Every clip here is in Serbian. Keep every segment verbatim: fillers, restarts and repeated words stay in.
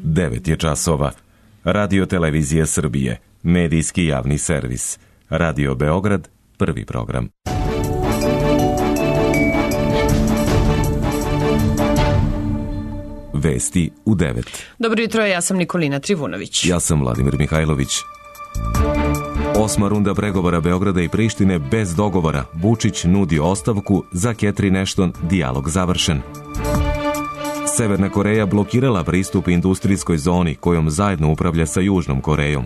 devet je časova. Radio Televizija Srbije, medijski javni servis. Radio Beograd, prvi program. Vesti u devet. Dobro jutro, ja sam Nikolina Trivunović. Ja sam Vladimir Mihajlović. Osma runda pregovora Beograda i Prištine bez dogovora. Vučić nudi ostavku, za Catherine Ashton dijalog završen. Severna Koreja blokirala pristup industrijskoj zoni kojom zajedno upravlja sa Južnom Korejom.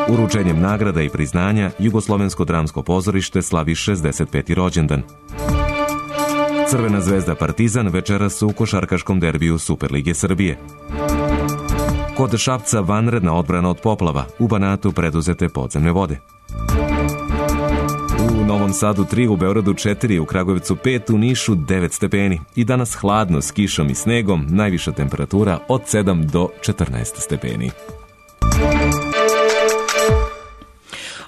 Uručenjem nagrada i priznanja Jugoslovensko dramsko pozorište slavi šezdeset peti rođendan. Crvena zvezda Partizan večeras u košarkaškom derbiju Superlige Srbije. Kod Šapca vanredna odbrana od poplava, u Banatu preduzete podzemne vode. U Novom Sadu tri, u Beogradu četiri, u Kragujevcu pet, u Nišu devet stepeni. I danas hladno s kišom i snegom, najviša temperatura od sedam do četrnaest stepeni.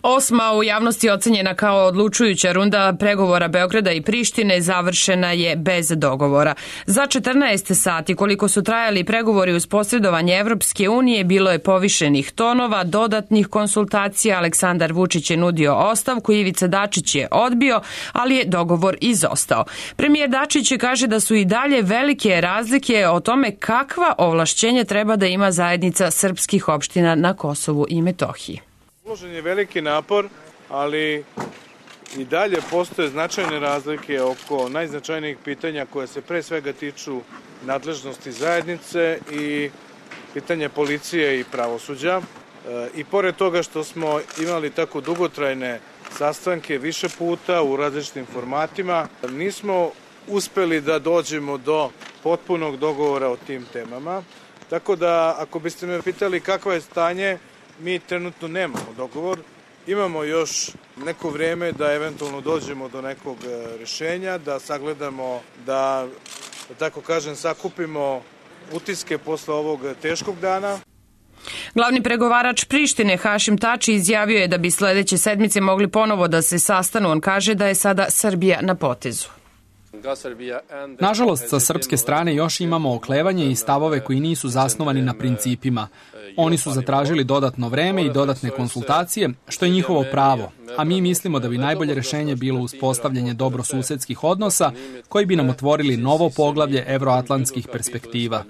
Osma u javnosti ocenjena kao odlučujuća runda pregovora Beograda i Prištine završena je bez dogovora. Za četrnaest sati, koliko su trajali pregovori uz posredovanje Evropske unije, bilo je povišenih tonova, dodatnih konsultacija. Aleksandar Vučić je nudio ostavku, Ivica Dačić je odbio, ali je dogovor izostao. Premijer Dačić kaže da su i dalje velike razlike o tome kakva ovlašćenja treba da ima zajednica srpskih opština na Kosovu i Metohiji. Uložen je veliki napor, ali i dalje postoje značajne razlike oko najznačajnijih pitanja koje se pre svega tiču nadležnosti zajednice i pitanja policije i pravosuđa. I pored toga što smo imali tako dugotrajne sastanke više puta u različitim formatima, nismo uspeli da dođemo do potpunog dogovora o tim temama. Tako da, ako biste me pitali kakvo je stanje, mi trenutno nemamo dogovor, imamo još neko vrijeme da eventualno dođemo do nekog rješenja, da sagledamo, da, da tako kažem, sakupimo utiske posle ovog teškog dana. Glavni pregovarač Prištine Hašim Tači izjavio je da bi sledeće sedmice mogli ponovo da se sastanu. On kaže da je sada Srbija na potezu. Nažalost, sa srpske strane još imamo oklevanje i stavove koji nisu zasnovani na principima. Oni su zatražili dodatno vreme i dodatne konsultacije, što je njihovo pravo, a mi mislimo da bi najbolje rešenje bilo uspostavljanje dobrosusedskih odnosa koji bi nam otvorili novo poglavlje evroatlantskih perspektiva.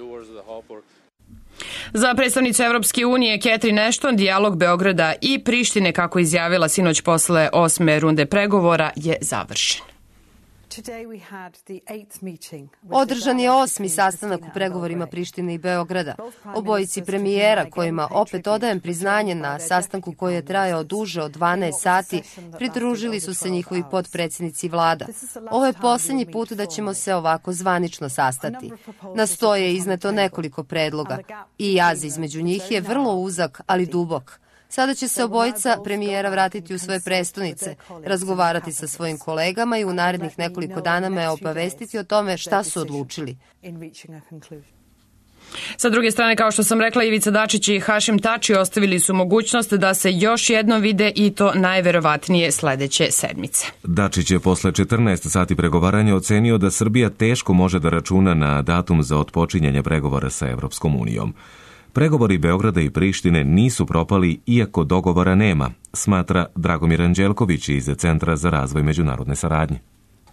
Za predstavnicu Evropske unije Catherine Ashton dijalog Beograda i Prištine, kako izjavila sinoć posle osme runde pregovora, je završen. Održan je osmi sastanak u pregovorima Prištine i Beograda. Obojici premijera, kojima opet odajem priznanje na sastanku koji je trajao duže od dvanaest sati, pridružili su se njihovi potpredsjednici vlada. Ovo je posljednji put da ćemo se ovako zvanično sastati. Na sto je izneto nekoliko predloga i jaz između njih je vrlo uzak, ali dubok. Sada će se obojica premijera vratiti u svoje prestonice, razgovarati sa svojim kolegama i u narednih nekoliko dana me obavestiti o tome šta su odlučili. Sa druge strane, kao što sam rekla, Ivica Dačić i Hašim Tači ostavili su mogućnost da se još jednom vide i to najverovatnije sledeće sedmice. Dačić je posle četrnaest sati pregovaranja ocenio da Srbija teško može da računa na datum za otpočinjanje pregovora sa Evropskom unijom. Pregovori Beograda i Prištine nisu propali iako dogovora nema, smatra Dragomir Anđelković iz Centra za razvoj međunarodne saradnje.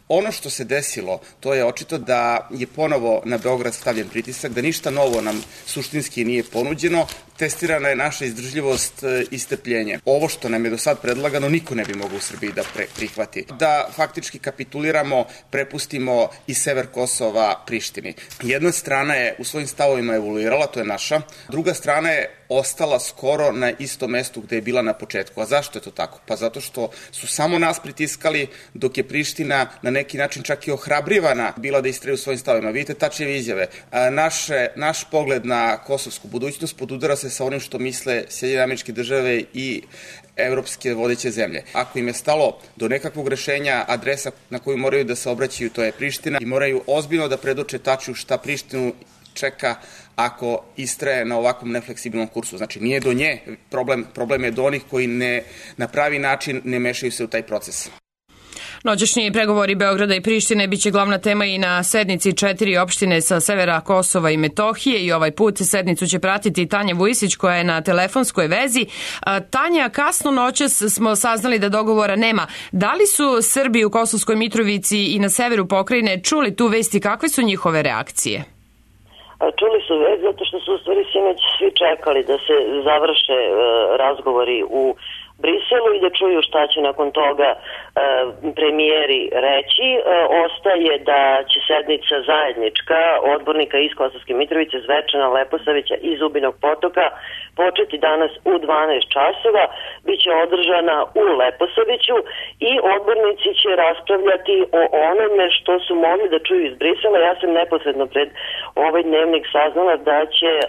Ono što se desilo, to je očito da je ponovo na Beograd stavljen pritisak, da ništa novo nam suštinski nije ponuđeno, testirana je naša izdržljivost i strpljenje. Ovo što nam je do sad predlagano, niko ne bi mogao u Srbiji da prihvati. Da faktički kapituliramo, prepustimo i sever Kosova Prištini. Jedna strana je u svojim stavovima evoluirala, to je naša. Druga strana je ostala skoro na istom mestu gde je bila na početku. A zašto je to tako? Pa zato što su samo nas pritiskali, dok je Priština na neki način čak i ohrabrivana bila da istraju svojim stavovima. Vidite Tačijeve izjave. Naše, naš pogled na kosovsku budućnost podudara se sa onim što misle Sjedinjene Američke Države i evropske vodeće zemlje. Ako im je stalo do nekakvog rešenja, adresa na koju moraju da se obraćaju, to je Priština, i moraju ozbiljno da predoče Tačiju šta Prištinu čeka ako istraje na ovakvom nefleksibilnom kursu. Znači, nije do nje problem, problem je do onih koji ne, na pravi način ne mešaju se u taj proces. Noćašnji pregovori Beograda i Prištine biće glavna tema i na sednici četiri opštine sa severa Kosova i Metohije i ovaj put sednicu će pratiti Tanja Vujisić koja je na telefonskoj vezi. Tanja, kasno noćas smo saznali da dogovora nema. Da li su Srbi u Kosovskoj Mitrovici i na severu pokrajine čuli tu vesti, kakve su njihove reakcije? Čuli su vest zato što su u stvari sinoć svi čekali da se završe razgovori u Briselu i da čuju šta će nakon toga e, premijeri reći. E, ostaje da će sednica zajednička odbornika iz Kosovske Mitrovice, Zvečana, Leposavića i Zubinog Potoka početi danas u dvanaest časova. Biće održana u Leposaviću i odbornici će raspravljati o onome što su mogli da čuju iz Brisela. Ja sam neposredno pred ovaj dnevnik saznala da će e,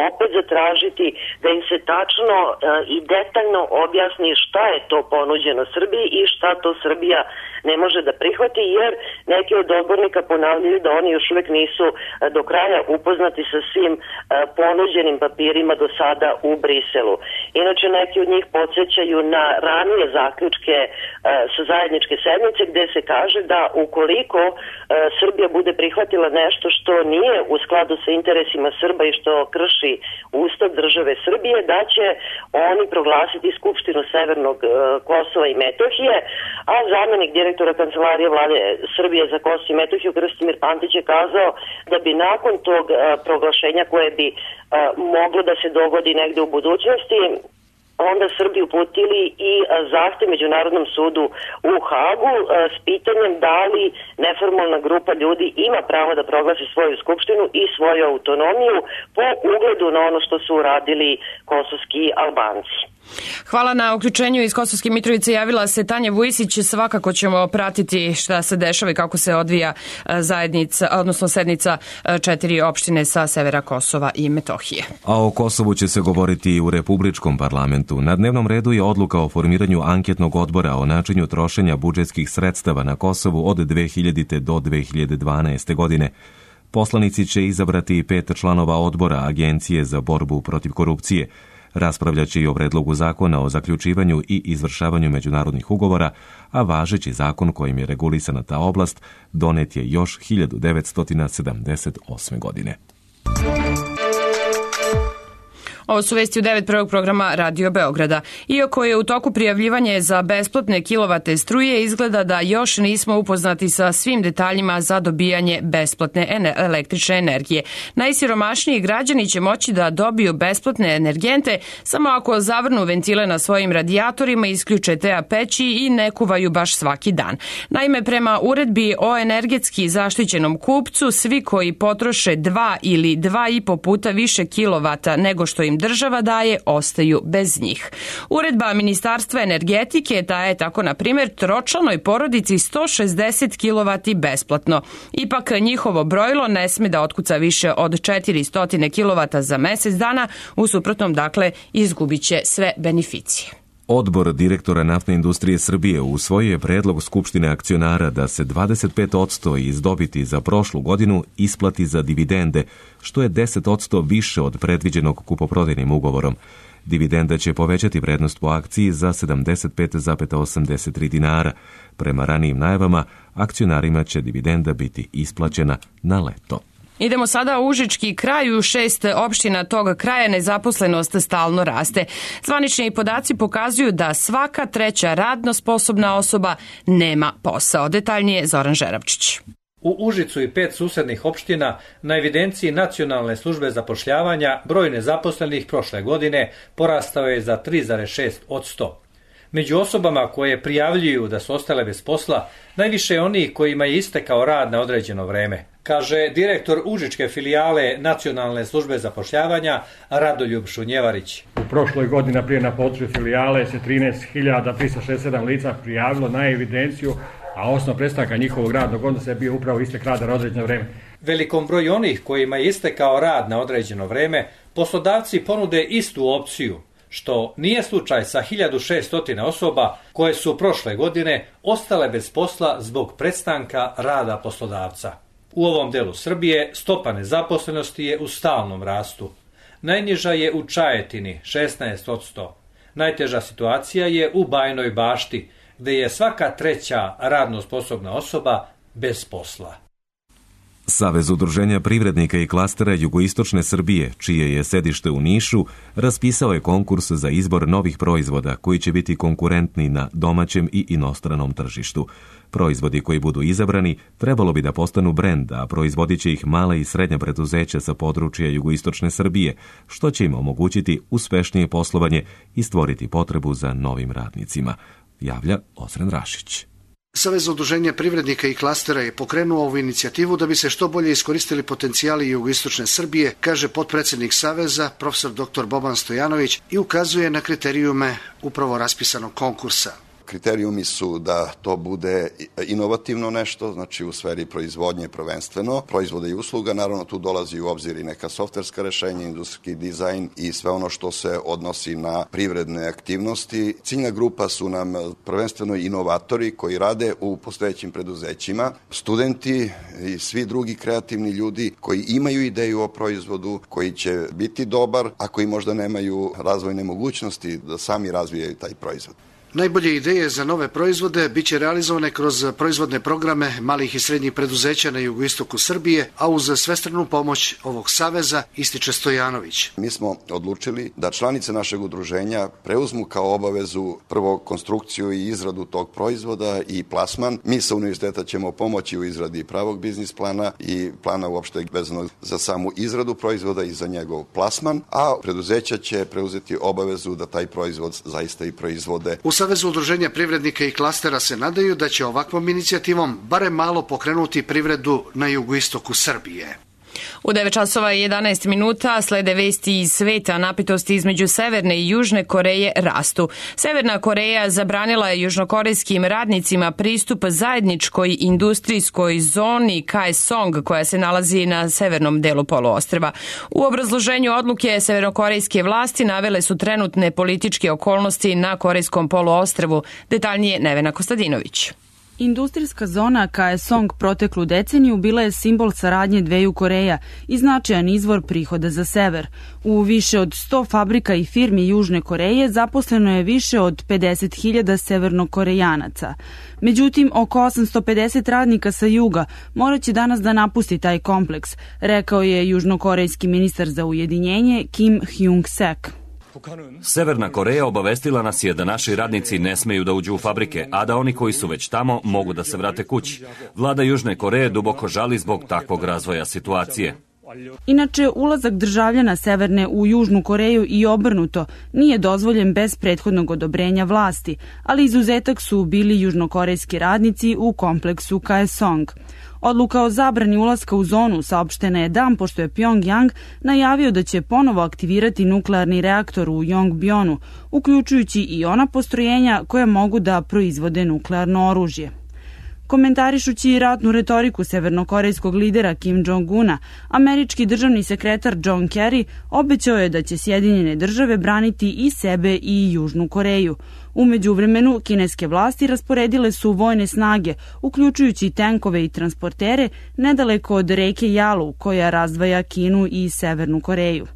opet zatražiti da im se tačno e, i detaljno objasni šta je to ponuđeno Srbiji i šta to Srbija ne može da prihvati, jer neki od odbornika ponavljaju da oni još uvek nisu do kraja upoznati sa svim ponuđenim papirima do sada u Briselu. Inače, neki od njih podsjećaju na ranije zaključke sa zajedničke sednice gde se kaže da ukoliko Srbija bude prihvatila nešto što nije u skladu sa interesima Srba i što krši Ustav države Srbije, da će oni proglasiti Skupštinu Severnog Kosova i Metohije, a zamenik direktora Kancelarije Vlade Srbije za Kosovo i Metohiju Krstimir Pantić je kazao da bi nakon tog proglašenja koje bi moglo da se dogodi negde u budućnosti, onda Srbi uputili i zahtev Međunarodnom sudu u Hagu s pitanjem da li neformalna grupa ljudi ima pravo da proglasi svoju skupštinu i svoju autonomiju po ugledu na ono što su uradili kosovski Albanci. Hvala na uključenju iz Kosovske Mitrovice. Javila se Tanja Vujisić. Svakako ćemo pratiti šta se dešava i kako se odvija zajednica, odnosno sednica četiri opštine sa severa Kosova i Metohije. A o Kosovu će se govoriti i u Republičkom parlamentu. Na dnevnom redu je odluka o formiranju anketnog odbora o načinu trošenja budžetskih sredstava na Kosovu od dve hiljadite do dve hiljade dvanaeste. godine. Poslanici će izabrati pet članova odbora Agencije za borbu protiv korupcije. Raspravljaće i o predlogu zakona o zaključivanju i izvršavanju međunarodnih ugovora, a važeći zakon kojim je regulisana ta oblast donet je još hiljadu devetsto sedamdeset osme. godine. Ovo su vesti u devet prvog programa Radio Beograda. Iako je u toku prijavljivanje za besplatne kilovate struje, izgleda da još nismo upoznati sa svim detaljima za dobijanje besplatne električne energije. Najsiromašniji građani će moći da dobiju besplatne energente samo ako zavrnu ventile na svojim radijatorima, isključe T A peći i ne kuvaju baš svaki dan. Naime, prema uredbi o energetski zaštićenom kupcu, svi koji potroše dva ili dva i po puta više kilovata nego što im država daje, ostaju bez njih. Uredba Ministarstva energetike daje tako, na primjer, tročlanoj porodici sto šezdeset kilovata besplatno. Ipak njihovo brojilo ne sme da otkuca više od četiristo kilovata za mesec dana, u suprotnom, dakle, izgubit će sve beneficije. Odbor direktora Naftne industrije Srbije usvojio je predlog Skupštine akcionara da se dvadeset pet posto iz dobiti za prošlu godinu isplati za dividende, što je deset posto više od predviđenog kupoprodajnim ugovorom. Dividenda će povećati vrednost po akciji za sedamdeset pet zarez osamdeset tri dinara. Prema ranijim najavama, akcionarima će dividenda biti isplaćena na leto. Idemo sada u Užički kraj. U šest opština tog kraja nezaposlenost stalno raste. Zvanični podaci pokazuju da svaka treća radno sposobna osoba nema posao. Detaljnije Zoran Žerabčić. U Užicu i pet susednih opština na evidenciji Nacionalne službe zapošljavanja broj nezaposlenih prošle godine porastao je za tri zarez šest posto. Među osobama koje prijavljuju da su ostale bez posla, najviše je onih kojima je istekao rad na određeno vreme, kaže direktor Užičke filijale Nacionalne službe zapošljavanja Radoljub Šunjevarić. U prošloj godini, naprijed, na području filijale se trinaest hiljada trista šezdeset sedam lica prijavilo na evidenciju, a osnov prestanka njihovog radnog odnosa je bio upravo istek rada na određeno vreme. Velikom broju onih kojima je istekao rad na određeno vreme, poslodavci ponude istu opciju, što nije slučaj sa hiljadu šesto osoba koje su prošle godine ostale bez posla zbog prestanka rada poslodavca. U ovom delu Srbije stopa nezaposlenosti je u stalnom rastu. Najniža je u Čajetini šesnaest posto. Najteža situacija je u Bajinoj Bašti, gde je svaka treća radno sposobna osoba bez posla. Savez udruženja privrednika i klastera Jugoistočne Srbije, čije je sedište u Nišu, raspisao je konkurs za izbor novih proizvoda koji će biti konkurentni na domaćem i inostranom tržištu. Proizvodi koji budu izabrani trebalo bi da postanu brend, a proizvodit će ih mala i srednja preduzeća sa područja Jugoistočne Srbije, što će im omogućiti uspešnije poslovanje i stvoriti potrebu za novim radnicima, javlja Osren Rašić. Savez udruženja privrednika i klastera je pokrenuo ovu inicijativu da bi se što bolje iskoristili potencijali jugoistočne Srbije, kaže potpredsednik Saveza, profesor doktor Boban Stojanović, i ukazuje na kriterijume upravo raspisanog konkursa. Kriterijumi su da to bude inovativno nešto, znači u sferi proizvodnje prvenstveno, proizvoda i usluga, naravno tu dolazi u obzir i neka softverska rešenja, industrijski dizajn i sve ono što se odnosi na privredne aktivnosti. Ciljna grupa su nam prvenstveno inovatori koji rade u postojećim preduzećima, studenti i svi drugi kreativni ljudi koji imaju ideju o proizvodu, koji će biti dobar, a koji možda nemaju razvojne mogućnosti da sami razvijaju taj proizvod. Najbolje ideje za nove proizvode biće realizovane kroz proizvodne programe malih i srednjih preduzeća na jugoistoku Srbije, a uz svestranu pomoć ovog saveza, ističe Stojanović. Mi smo odlučili da članice našeg udruženja preuzmu kao obavezu prvo konstrukciju i izradu tog proizvoda i plasman. Mi sa univerziteta ćemo pomoći u izradi pravog biznis plana i plana uopšte vezanog za samu izradu proizvoda i za njegov plasman, a preduzeća će preuzeti obavezu da taj proizvod zaista i proizvode. U Savezu udruženja privrednika i klastera se nadaju da će ovakvom inicijativom barem malo pokrenuti privredu na jugoistoku Srbije. U devet časova i jedanaest minuta slede vesti iz sveta. Napetosti između Severne i Južne Koreje rastu. Severna Koreja zabranila je južnokorejskim radnicima pristup zajedničkoj industrijskoj zoni Kaesong koja se nalazi na severnom delu poluostrva. U obrazloženju odluke severnokorejske vlasti navele su trenutne političke okolnosti na korejskom poluostrvu. Detaljnije Nevena Kostadinović. Industrijska zona Kaesong proteklu deceniju bila je simbol saradnje dveju Koreja i značajan izvor prihoda za sever. U više od sto fabrika i firmi Južne Koreje zaposleno je više od pedeset hiljada severnokorejanaca. Međutim, oko osamsto pedeset radnika sa juga morat će danas da napusti taj kompleks, rekao je južnokorejski ministar za ujedinjenje Kim Hyung-sek. Severna Koreja obavestila nas je da naši radnici ne smeju da uđu u fabrike, a da oni koji su već tamo mogu da se vrate kući. Vlada Južne Koreje duboko žali zbog takvog razvoja situacije. Inače, ulazak državljana Severne u Južnu Koreju i obrnuto nije dozvoljen bez prethodnog odobrenja vlasti, ali izuzetak su bili južnokorejski radnici u kompleksu Kaesong. Odluka o zabrani ulaska u zonu saopštena je dan pošto je Pyongyang najavio da će ponovo aktivirati nuklearni reaktor u Yongbyon-u, uključujući i ona postrojenja koja mogu da proizvode nuklearno oružje. Komentarišući ratnu retoriku severnokorejskog lidera Kim Jong-una, američki državni sekretar John Kerry obećao je da će Sjedinjene države braniti i sebe i Južnu Koreju. U međuvremenu, kineske vlasti rasporedile su vojne snage, uključujući tenkove i transportere, nedaleko od reke Jalu, koja razdvaja Kinu i Severnu Koreju.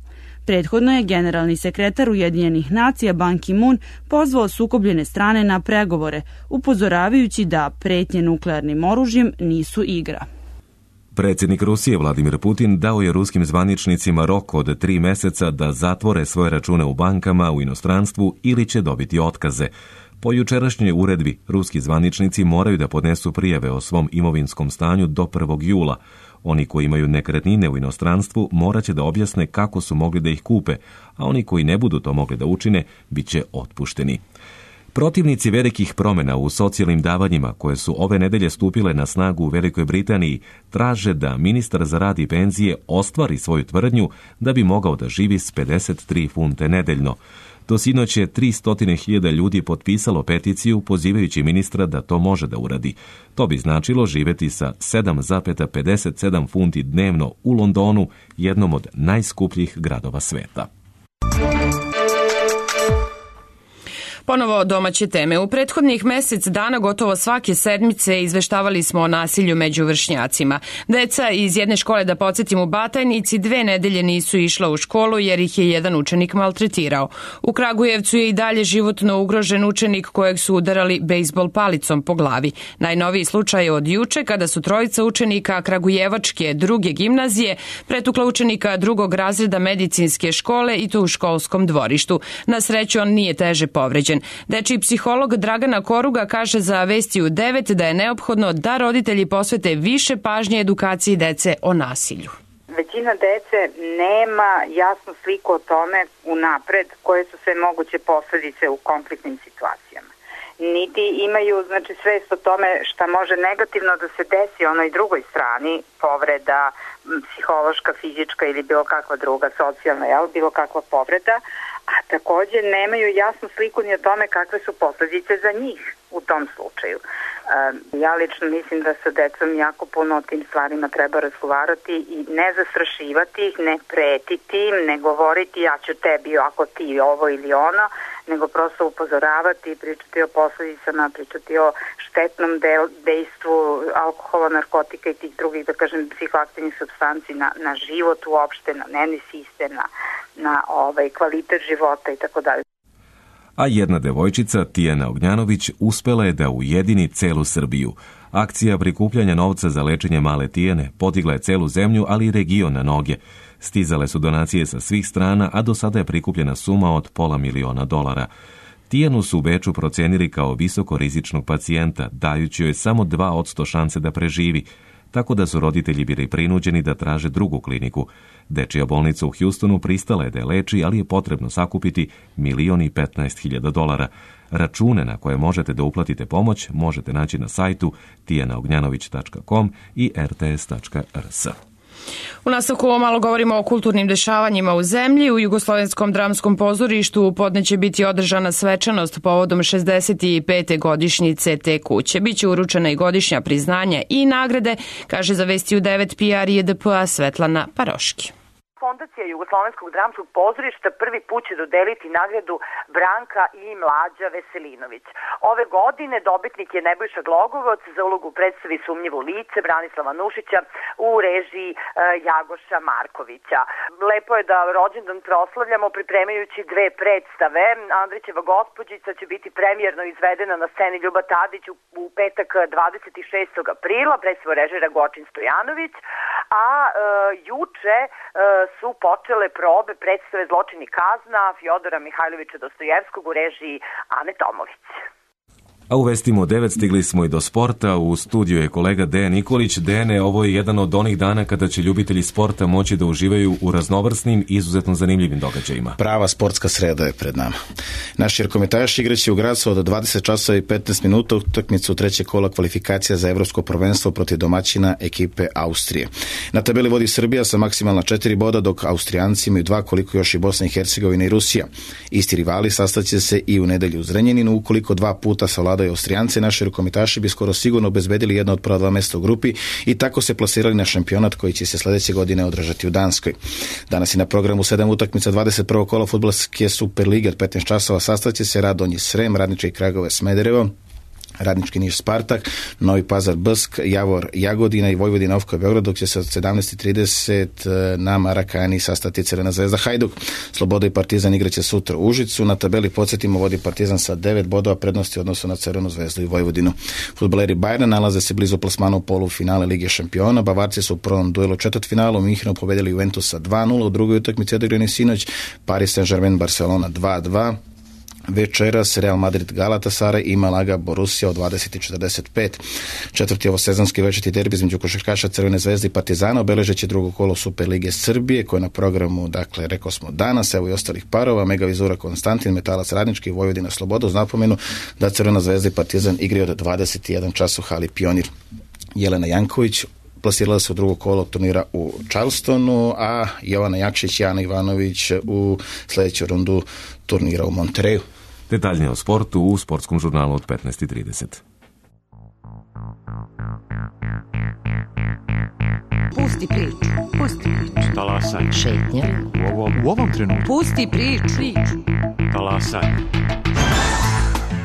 Prethodno je generalni sekretar Ujedinjenih nacija Ban Ki-moon pozvao sukobljene strane na pregovore, upozoravajući da pretnje nuklearnim oružjem nisu igra. Predsjednik Rusije Vladimir Putin dao je ruskim zvaničnicima rok od tri meseca da zatvore svoje račune u bankama u inostranstvu ili će dobiti otkaze. Po jučerašnjoj uredbi, ruski zvaničnici moraju da podnesu prijave o svom imovinskom stanju do prvog jula. Oni koji imaju nekretnine u inostranstvu morat će da objasne kako su mogli da ih kupe, a oni koji ne budu to mogli da učine, bit će otpušteni. Protivnici velikih promjena u socijalnim davanjima koje su ove nedelje stupile na snagu u Velikoj Britaniji traže da ministar za rad i penzije ostvari svoju tvrdnju da bi mogao da živi s pedeset tri funte nedeljno. Do sinoć je tristo hiljada ljudi potpisalo peticiju pozivajući ministra da to može da uradi. To bi značilo živeti sa sedam zarez pedeset sedam funti dnevno u Londonu, jednom od najskupljih gradova sveta. Ponovo domaće teme. U prethodnih mesec dana gotovo svake sedmice izveštavali smo o nasilju među vršnjacima. Deca iz jedne škole, da podsjetim, u Batajnici dve nedelje nisu išla u školu jer ih je jedan učenik maltretirao. U Kragujevcu je i dalje životno ugrožen učenik kojeg su udarali bejsbol palicom po glavi. Najnoviji slučaj je od juče kada su trojica učenika Kragujevačke druge gimnazije pretukla učenika drugog razreda medicinske škole i to u školskom dvorištu. Na sreću on nije teže povređen. Dečiji psiholog Dragana Koruga kaže za Vesti u devet da je neophodno da roditelji posvete više pažnje edukaciji dece o nasilju. Većina dece nema jasnu sliku o tome unapred koje su sve moguće posledice u konfliktnim situacijama. Niti imaju znači svest o tome šta može negativno da se desi onoj drugoj strani, povreda, psihološka, fizička ili bilo kakva druga, socijalna, jel, bilo kakva povreda, a takođe nemaju jasnu sliku ni o tome kakve su posledice za njih u tom slučaju. Ja lično mislim da sa decom jako puno o tim stvarima treba razgovarati i ne zastrašivati ih, ne pretiti im, ne govoriti ja ću tebi ako ti ovo ili ono, nego prosto upozoravati, pričati o posledicama, pričati o štetnom dejstvu alkohola, narkotika i tih drugih, da kažem, psihoaktivnih supstanci na, na život uopšte, na nervni sistem, na, na ovaj, kvalitet života i tako dalje. A jedna devojčica, Tijana Ognjanović, uspela je da ujedini celu Srbiju. Akcija prikupljanja novca za lečenje male Tijane podigla je celu zemlju, ali i region na noge. Stizale su donacije sa svih strana, a do sada je prikupljena suma od pola miliona dolara. Tijanu su u Beču procenili kao visokorizičnog pacijenta, dajući joj samo dva posto šanse da preživi, tako da su roditelji bili prinuđeni da traže drugu kliniku. Dečija bolnica u Hjustonu pristala je da je leči, ali je potrebno sakupiti milion i petnaest hiljada dolara. Račune na koje možete da uplatite pomoć možete naći na sajtu tijana ognjanović tačka com i er te es tačka er es. U nastavku malo govorimo o kulturnim dešavanjima u zemlji. U Jugoslovenskom dramskom pozorištu u podne će biti održana svečanost povodom šezdeset pete godišnjice te kuće. Biće uručena i godišnja priznanja i nagrade, kaže za Vesti u devet P R J D P-a Svetlana Paroški. Fondacija Jugoslovenskog dramskog pozorišta prvi put će dodeliti nagradu Branka i Mlađa Veselinović. Ove godine dobitnik je Nebojša Glogovac za ulogu u predstavi Sumnjivo lice Branislava Nušića u režiji e, Jagoša Markovića. Lepo je da rođendan proslavljamo pripremajući dve predstave. Andrićeva gospođica će biti premijerno izvedena na sceni Ljuba Tadić u, u petak dvadeset šestog aprila, predstavu režira Gočin Stojanović, a e, juče e, su počele probe predstave Zločin i kazna Fjodora Mihajlovića Dostojevskog u režiji Ane Tomović. A u Vestima u devet stigli smo i do sporta. U studiju je kolega Dejan Nikolić. Dejane, ovo je jedan od onih dana kada će ljubitelji sporta moći da uživaju u raznovrsnim i izuzetno zanimljivim događajima. Prava sportska sreda je pred nama. Naši rekometaši igraće u Gracu od dvadeset časova i petnaest minuta utakmicu trećeg kola kvalifikacija za evropsko prvenstvo protiv domaćina ekipe Austrije. Na tabeli vodi Srbija sa maksimalna četiri boda, dok Austrijanci imaju dva, koliko još i Bosna i Hercegovina i Rusija. Isti rivali sastaće se i u nedelju u Zrenjaninu, ukoliko dva puta savladaju Austrijance, naši rukometaši bi skoro sigurno obezbedili jedno od prva dva mesta u grupi i tako se plasirali na šampionat koji će se sledeće godine održati u Danskoj. Danas je na programu sedam utakmica dvadeset prvog kola fudbalske Superlige od petnaest časova. Sastaće se Radonji Srem, Radnički Kragujevac Smederevo, Radnički Niš Spartak, Novi Pazar Bsk, Javor Jagodina i Vojvodina Ofka Beograd, dok će se od sedamnaest trideset na Marakani sastati Crvena zvezda Hajduk. Sloboda i Partizan igraće sutra u Užicu. Na tabeli podsjetimo vodi Partizan sa devet bodova prednosti u odnosu na Crvenu zvezdu i Vojvodinu. Fudbaleri Bayerna nalaze se blizu plasmana u polufinale Lige šampiona. Bavarci su u prvom duelu četvrtfinalu u Minhenu pobedili Juventusa dva nula, u drugoj utakmici odigrani sinoć Paris Saint-Germain Barcelona dva dva. Večeras Real Madrid Galatasaray i Malaga Borussia od dvadeset četrdeset pet. Četvrti ovosezonski večiti derbi između košarkaša Crvene zvezde i Partizana obeležeće drugo kolo Superlige Srbije, koje je na programu, dakle, rekao smo danas, evo i ostalih parova, Mega Vizura Konstantin, Metalac Radnički i Vojvodina Sloboda, uz napomenu da Crvena zvezda i Partizan igraju od dvadeset jedan čas u hali Pionir. Jelena Janković plasirala se u drugo kolo turnira u Charlestonu, a Jovana Jakšić i Ana Ivanović u sledeću rundu turnira u Montereju. Detaljnije o sportu u sportskom žurnalu od petnaest trideset. Pusti priču. Pusti priču. Talasaj. Šetnja. U ovom, u ovom trenutku. Pusti priču. Talasaj.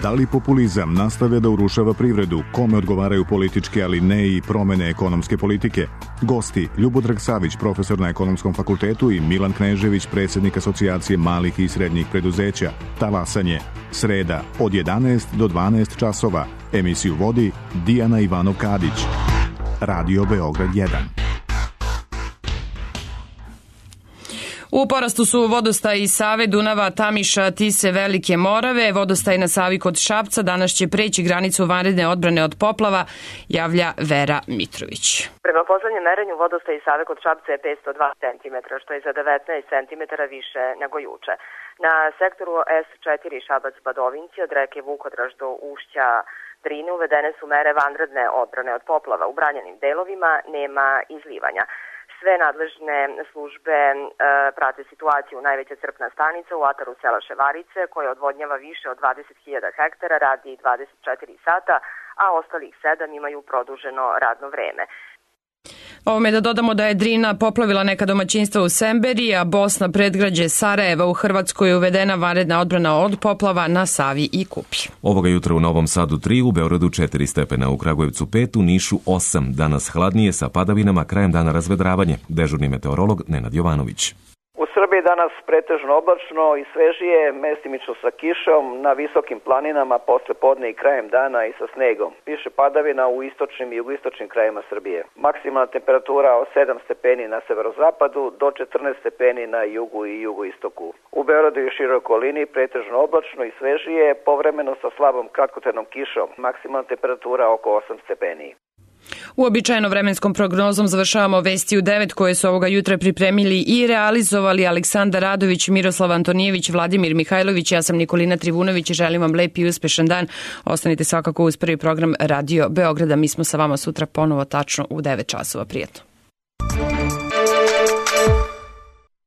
Da li populizam nastavlja da urušava privredu? Kome odgovaraju političke, ali ne i promene ekonomske politike? Gosti Ljubodrag Savić, profesor na Ekonomskom fakultetu, i Milan Knežević, predsjednik Asocijacije malih i srednjih preduzeća. Talasanje. Sreda od jedanaest do dvanaest časova. Emisiju vodi Dijana Ivanov-Kadić. Radio Beograd jedan. U porastu su vodostaj iz Save, Dunava, Tamiša, Tise, Velike Morave. Vodostaj na Savi kod Šapca danas će preći granicu vanredne odbrane od poplava, javlja Vera Mitrović. Prema poslednjem merenju vodostaj iz Save kod Šapca je petsto dva centimetra, što je za devetnaest centimetara više nego juče. Na sektoru es četiri Šabac-Badovinci od reke Vukodraž do ušća Drine uvedene su mere vanredne odbrane od poplava. U branjenim delovima nema izlivanja. Sve nadležne službe e, prate situaciju. Najveća crpna stanica u ataru sela Ševarice, koja odvodnjava više od dvadeset hiljada hektara, radi dvadeset četiri sata, a ostalih sedam imaju produženo radno vreme. Ovome da dodamo da je Drina poplavila neka domaćinstva u Semberi, a Bosna predgrađe Sarajeva u Hrvatskoj je uvedena vanredna odbrana od poplava na Savi i Kupi. Ovoga jutra u Novom Sadu tri, u Beogradu četiri stepena, u Kragujevcu pet, u Nišu osam. Danas hladnije sa padavinama, krajem dana razvedravanje. Dežurni meteorolog Nenad Jovanović. U Srbiji danas pretežno oblačno i svežije, mestimično sa kišom, na visokim planinama posle podne i krajem dana i sa snegom. Piše padavina u istočnim i jugoistočnim krajima Srbije. Maksimalna temperatura od sedam stepeni na severozapadu do četrnaest stepeni na jugu i jugoistoku. U Beogradu i široj okolini pretežno oblačno i svežije, povremeno sa slabom kratkotrajnom kišom. Maksimalna temperatura oko osam stepeni. Uobičajeno vremenskom prognozom završavamo vesti u devet koje su ovoga jutra pripremili i realizovali Aleksandar Radović, Miroslav Antonijević, Vladimir Mihajlović. Ja sam Nikolina Trivunović i želim vam lep i uspešan dan. Ostanite svakako uz prvi program Radio Beograda. Mi smo sa vama sutra ponovo tačno u devet časova. Prijetno.